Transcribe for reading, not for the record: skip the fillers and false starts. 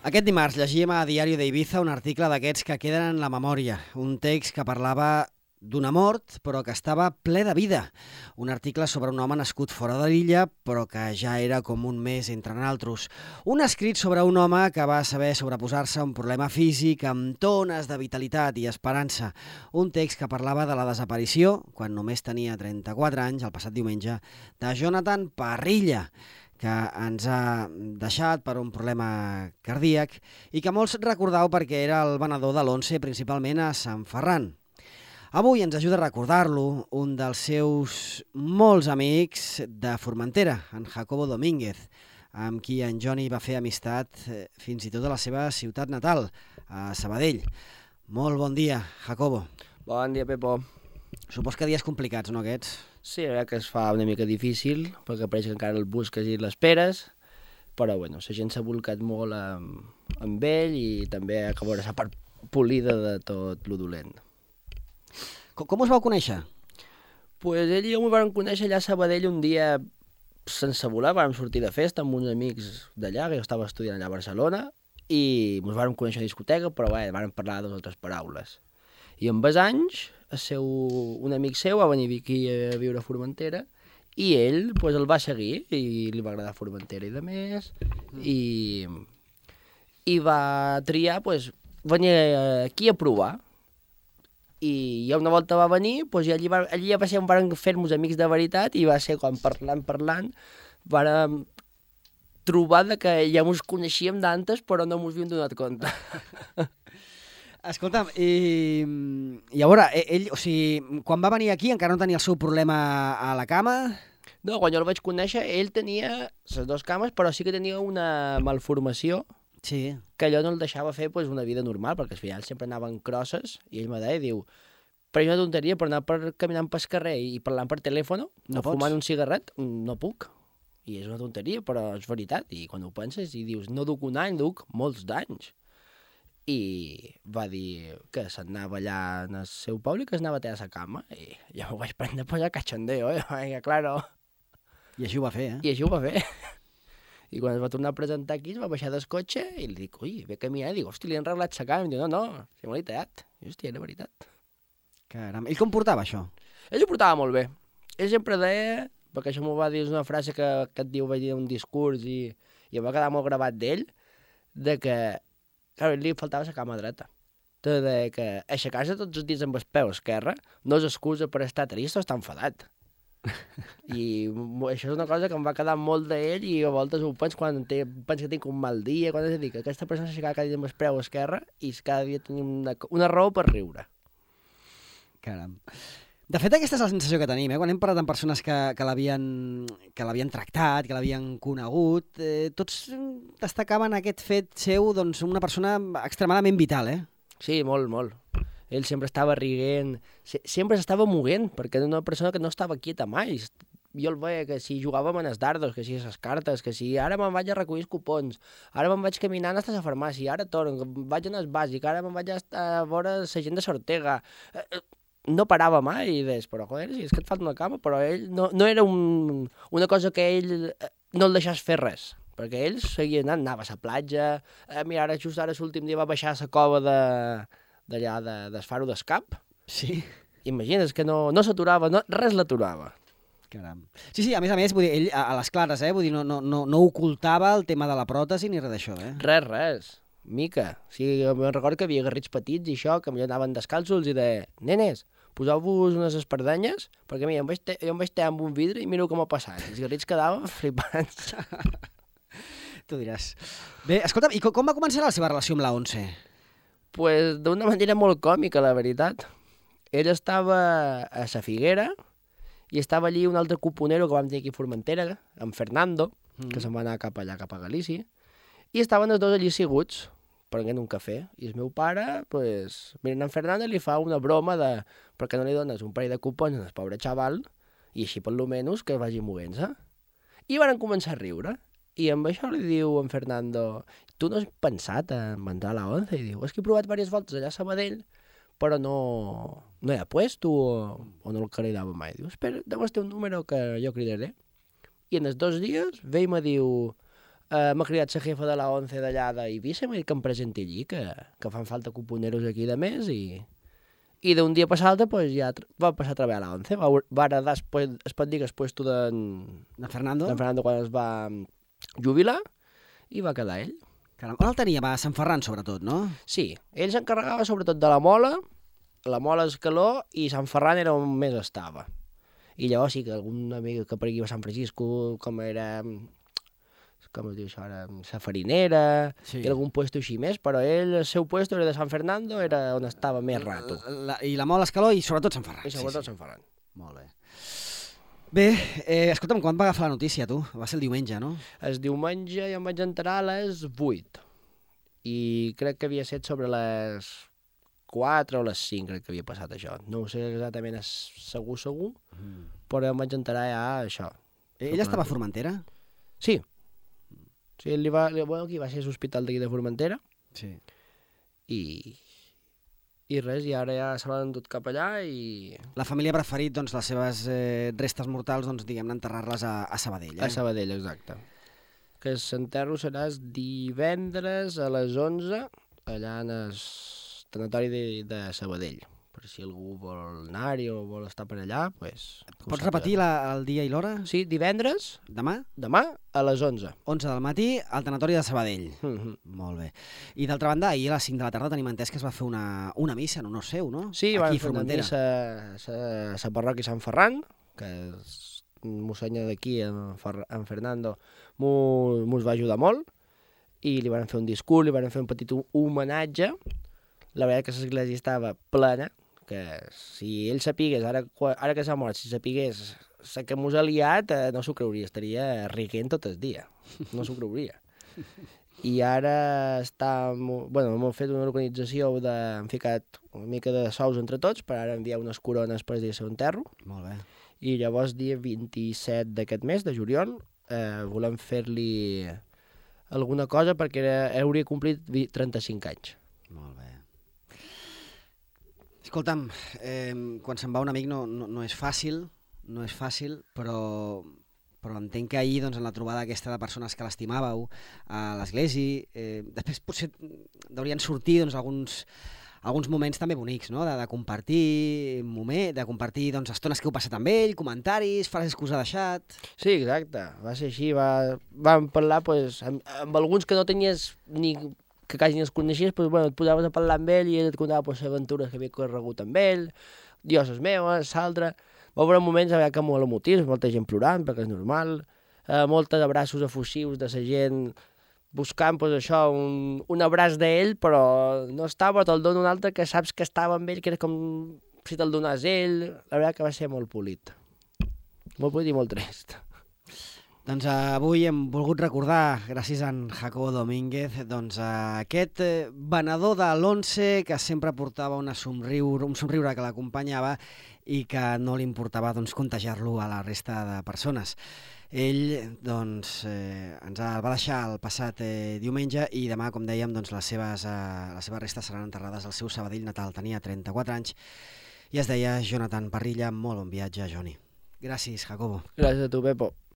Aquest dimarts llegíem a Diario de Ibiza un article d'aquests que queden en la memòria, un text que parlava d'una mort, però que estava ple de vida. Un article sobre un home nascut fora de l'illa, però que ja era com un mes entre naltros. Un escrit sobre un home que va saber sobreposar-se a un problema físic amb tones de vitalitat i esperança. Un text que parlava de la desaparició, quan només tenia 34 anys, el passat diumenge, de Jonathan Parrilla, que ens ha deixat per un problema cardíac i que molts recordau perquè era el venedor de l'11, principalment a Sant Ferran. Avui ens ajuda a recordar-lo un dels seus molts amics de Formentera, en Jacobo Domínguez, amb qui en Johnny va fer amistat fins i tot a la seva ciutat natal, a Sabadell. Molt bon dia, Jacobo. Bon dia, Pepo. Supos que dies complicats, no, aquests? Sí, la veritat que es fa una mica difícil, perquè pareix que encara el busques i l'esperes, però bueno, la gent s'ha volcat molt amb ell i també a veure la part polida de tot lo dolent. Com us vau conèixer? Pues ell i jo m'ho vam conèixer allà a Sabadell un dia sense voler, vam sortir de festa amb uns amics d'allà, que jo estava estudiant allà a Barcelona, i ens vam conèixer a discoteca, però bé, vam parlar de altres paraules. I amb els anys, un amic seu va venir aquí a viure a Formentera, i ell pues, el va seguir, i li va agradar Formentera i de més, i va triar pues, venir aquí a provar. I ja una volta va venir, doncs allí ja va ser on vam fer-nos amics de veritat i va ser quan parlant, vam trobar que ja ens coneixíem d'antes però no ens havíem donat compte. Escolta'm, i a veure, ell, o sigui, quan va venir aquí encara no tenia el seu problema a la cama? No, quan jo el vaig conèixer, ell tenia les dues cames, però sí que tenia una malformació. Sí. Que allò no el deixava fer pues, una vida normal, perquè al final sempre anaven crosses, i ell me deia, diu, però és una tonteria, per anar caminant pel carrer i parlant per telèfon, no fumant un cigarret, no puc. I és una tonteria, però és veritat. I quan ho penses i dius, no duc un any, duc molts d'anys. I va dir que s'anava allà en el seu poble i que s'anava a tirar a la cama. I jo m'ho vaig prendre a posar cachondeo, claro. I així ho va fer, I així ho va fer. I quan es va tornar a presentar aquí, es va baixar del cotxe i li dic, ui, ve caminar, i dic, hosti, li han arreglat la cama. I em diu, no, si me l'he tallat. I hòstia, era veritat. Caram, ell com portava això? Ell ho portava molt bé. Ell sempre deia, perquè això m'ho va dir, és una frase que et diu, vaig dir un discurs i em va quedar molt gravat d'ell, de que, clar, a ell li faltava la cama dreta. De que aixecar-se tots els dies amb el peu esquerre no és excusa per estar trist o estar enfadat. I això és una cosa que em va quedar molt d'ell i a voltes ho penso quan penso que tinc un mal dia, quan és a dir que aquesta persona s'aixecava cada dia amb el peu esquerre i cada dia tenim una raó per riure. Caram. De fet, aquesta és la sensació que tenim, quan hem parlat amb persones que l'havien tractat, que l'havien conegut, tots destacaven aquest fet seu, doncs, una persona extremadament vital, Sí, molt, molt. Ell sempre estava rient, sempre s'estava movent, perquè era una persona que no estava quieta mai. Jo el veia que si jugàvem en els dardos, que si a les cartes, que si ara me'n vaig a recollir els cupons, ara me'n vaig caminant fins a la farmàcia, ara torno, vaig anar al bàsic, ara me'n vaig a veure la gent de Sortega. No parava mai i deies, però joder, si és que et falta una cama, però ell no era una cosa que ell no el deixés fer res, perquè ell seguia anant, anava a la platja, mira, just ara l'últim dia va baixar a la cova d'allà del Faro d'Escap. Sí. Imagina't que no s'aturava, res l'aturava. Caram. Sí, a més, vull dir, ell a les clares, vull dir, no ocultava el tema de la pròtesi ni res d'això, Res. Mica. Sí, me'n recordo que havia garrits petits i això, que millor anaven descalços i de nenes, poseu-vos unes espardenyes, perquè mira, jo em vaig tallar amb un vidre i mireu com ha passat. Els garrits quedaven flipants. Tu diràs. Bé, escolta'm, i com va començar la seva relació amb la 11? Pues d'una manera molt còmica, la veritat. Ell estava a la Figuera i estava allí un altre cuponero que vam tenir aquí a Formentera, en Fernando, que se'n va anar cap allà, cap a Galícia, i estaven els dos allí asseguts, prenent un cafè. I el meu pare, pues, mirant en Fernando, li fa una broma de per què no li dones un parell de cupons al pobre xaval i així per lo menys que vagi movent-se. I van començar a riure. I amb això li diu en Fernando, tu no has pensat en entrar a la 11? I diu, és que he provat diverses voltes allà a Sabadell, però no hi ha puesto o no el cridava mai. Diu, espera, deus ter un número que jo cridaré. I en els 2 dies ve i me diu, m'ha cridat la jefa de la 11 d'allà d'Eivissa i m'ha dit que em presenti allí, que fan falta cuponeros aquí de més i d'un dia per l'altre pues, ja va passar a treballar a la 11. Va heredar, es pot dir que el puesto De Fernando? Quan es va jubilar i va quedar ell. Caram, on el tenia? Va a Sant Ferran, sobretot, no? Sí, ell s'encarregava sobretot de la Mola Escaló i Sant Ferran era on més estava. I llavors sí que algun amic que per aquí va a Sant Francisco, com era, com es diu això ara, la farinera, Sí. i algun puesto així més, però ell, el seu puesto era de Sant Fernando, era on estava més rato. I la Mola Escaló i sobretot Sant Ferran. I sobretot Sant Ferran. Molt bé. Bé, escolta'm, quan va agafar la notícia, tu? Va ser el diumenge, no? El diumenge jo em vaig enterar a les 8 i crec que havia set sobre les 4 o les 5, crec que havia passat això. No ho sé exactament segur, però em vaig enterar ja això. Ella estava a Formentera? Sí. Sí, bueno, aquí va ser l'hospital d'aquí de Formentera Sí. i res, i ara ja se l'han endut cap allà i... La família ha preferit, doncs, les seves restes mortals, doncs, diguem-ne, enterrar-les a Sabadell, A Sabadell, exacte. Que l'enterro serà divendres a les 11 allà en el tanatori de Sabadell. Per si algú vol anar-hi o vol estar per allà, doncs... Pots repetir el dia i l'hora? Sí, divendres, Demà? demà, a les 11. 11 del matí, al tanatori de Sabadell. Mhm. Molt bé. I d'altra banda, ahir a les 5 de la tarda tenim entès que es va fer una missa en honor seu, no? Sí, aquí van a fer una Formentera. missa a la parròquia Sant Ferran, que el mossènyer d'aquí, en Fernando, mos va ajudar molt, i li van fer un discurs, li van fer un petit homenatge. La veritat que l'església estava plena, que si ell sapigués, ara que s'ha mort, si sapigués la que mos ha liat, no s'ho creuria, estaria rient tot el dia, no s'ho creuria. I ara hem fet una organització, hem ficat una mica de sous entre tots per ara enviar unes corones per dir seu enterro, Molt bé. i llavors dia 27 d'aquest mes, de juliol, volem fer-li alguna cosa perquè hauria complit 35 anys. Molt bé. Escolta'm, quan se'n va un amic no és fàcil, però entenc que ahir, doncs, en la trobada aquesta de persones que l'estimàveu a l'església, després potser deurien sortir, doncs, alguns moments també bonics, no? De compartir doncs, estones que heu passat amb ell, comentaris, frases que us ha deixat... Sí, exacte, va ser així, vam parlar pues, amb alguns que no tenies ni que quasi ni els coneixies, pues, bueno, et posaves a parlar amb ell i ell et contava pues, les aventures que havia corregut amb ell, jo les meves, l'altre... Va haver moments que molt emotius, molta gent plorant, perquè és normal, molts abraços efusius de la gent buscant pues, això, un abraç d'ell, però no estava, te'l dona un altre que saps que estava amb ell, que era com si te'l donàs ell. La veritat que va ser molt polit i molt trist. Doncs avui hem volgut recordar, gràcies a en Jacobo Domínguez, doncs aquest venedor de l'11 que sempre portava un somriure que l'acompanyava i que no li importava doncs, contagiar-lo a la resta de persones. Ell doncs, ens va deixar el passat diumenge i demà, com dèiem, doncs, les seves restes seran enterrades al seu Sabadell natal. Tenia 34 anys i es deia Jonathan Parrilla. Molt bon viatge, Joni. Gràcies, Jacobo. Gràcies a tu, Pepo.